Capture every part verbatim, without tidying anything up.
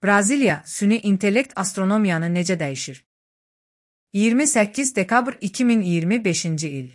Braziliya, süni intellekt astronomiyanı necə dəyişir? iyirmi səkkiz dekabr iki min iyirmi beşinci il.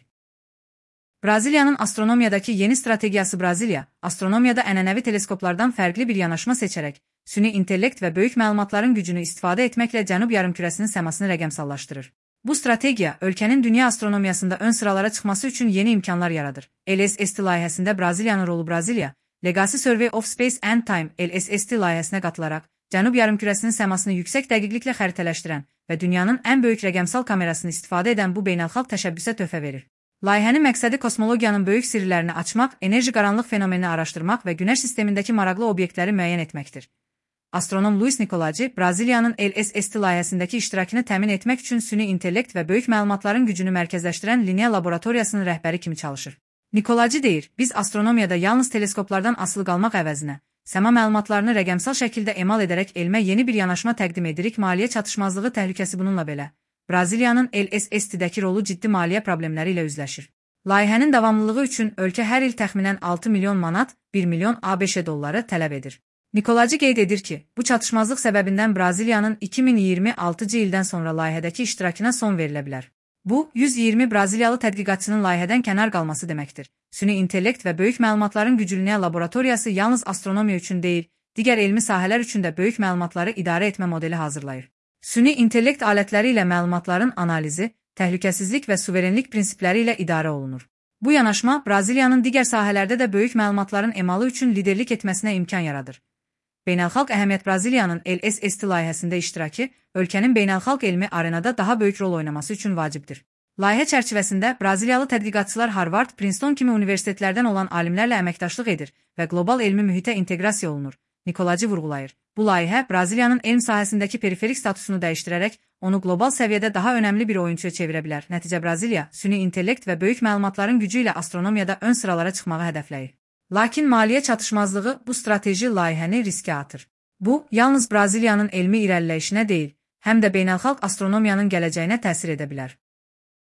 Braziliyanın astronomiyadakı yeni strategiyası Braziliya, astronomiyada ənənəvi teleskoplardan fərqli bir yanaşma seçərək, süni intellekt və böyük məlumatların gücünü istifadə etməklə Cənub yarımkürəsinin səmasını rəqəmsallaşdırır. Bu strategiya, ölkənin dünya astronomiyasında ön sıralara çıxması üçün yeni imkanlar yaradır. L S S T layihəsində Braziliyanın rolu Braziliya, Legacy Survey of Space and Time L S S T layihəsinə qatılaraq, Cənub yarımkürəsinin səmasını yüksək dəqiqliklə xəritələşdirən və dünyanın ən böyük rəqəmsal kamerasını istifadə edən bu beynəlxalq təşəbbüsə töhfə verir. Layihənin məqsədi kosmologiyanın böyük sirlərini açmaq, enerji qaranlıq fenomenini araşdırmaq və Günəş sistemindəki maraqlı obyektləri müəyyən etməkdir. Astronom Luis Nicolaci, Braziliyanın L S S T layihəsindəki iştirakını təmin etmək üçün süni intellekt və böyük məlumatların gücünü mərkəzləşdirən Linea laboratoriyasının rəhbəri kimi çalışır. Nicolaci deyir, biz astronomiyada yalnız teleskoplardan asılı qalmaq əvəzinə, səma məlumatlarını rəqəmsal şəkildə emal edərək elmə yeni bir yanaşma təqdim edirik. Maliyyə çatışmazlığı təhlükəsi bununla belə. Braziliyanın L S S T-dəki rolu ciddi maliyyə problemləri ilə üzləşir. Layihənin davamlılığı üçün ölkə hər il təxminən altı milyon manat, bir milyon ABŞ dolları tələb edir. Nicolaci qeyd edir ki, bu çatışmazlıq səbəbindən Braziliyanın iki min iyirmi altıncı ildən sonra layihədəki iştirakına son verilə bilər. Bu, yüz iyirmi Braziliyalı tədqiqatçının layihədən kənar qalması deməkdir. Süni intellekt və böyük məlumatların güclünə laboratoriyası yalnız astronomiya üçün deyil, digər elmi sahələr üçün də böyük məlumatları idarə etmə modeli hazırlayır. Süni intellekt alətləri ilə məlumatların analizi, təhlükəsizlik və suverenlik prinsipləri ilə idarə olunur. Bu yanaşma Braziliyanın digər sahələrdə də böyük məlumatların emalı üçün liderlik etməsinə imkan yaradır. Beynəlxalq əhəmiyyət Braziliyanın L S S T layihəsində iştirakı, ölkənin beynəlxalq elmi arenada daha böyük rol oynaması üçün vacibdir. Layihə çərçivəsində Braziliyalı tədqiqatçılar Harvard, Princeton kimi universitetlərdən olan alimlərlə əməkdaşlıq edir və qlobal elmi mühitə inteqrasiya olunur. Nicolaci vurğulayır. Bu layihə Braziliyanın elm sahəsindəki periferik statusunu dəyişdirərək, onu qlobal səviyyədə daha önəmli bir oyunçuya çevirə bilər. Nəticə Braziliya, süni intellekt və böyük məlumatların gücü ilə astronomiyada ön sıralara çıxmağı hədəfləyir. Lakin maliyyə çatışmazlığı bu strateji layihəni riskə atır. Bu, yalnız Braziliyanın elmi irəliləyişinə deyil, həm də beynəlxalq astronomiyanın gələcəyinə təsir edə bilər.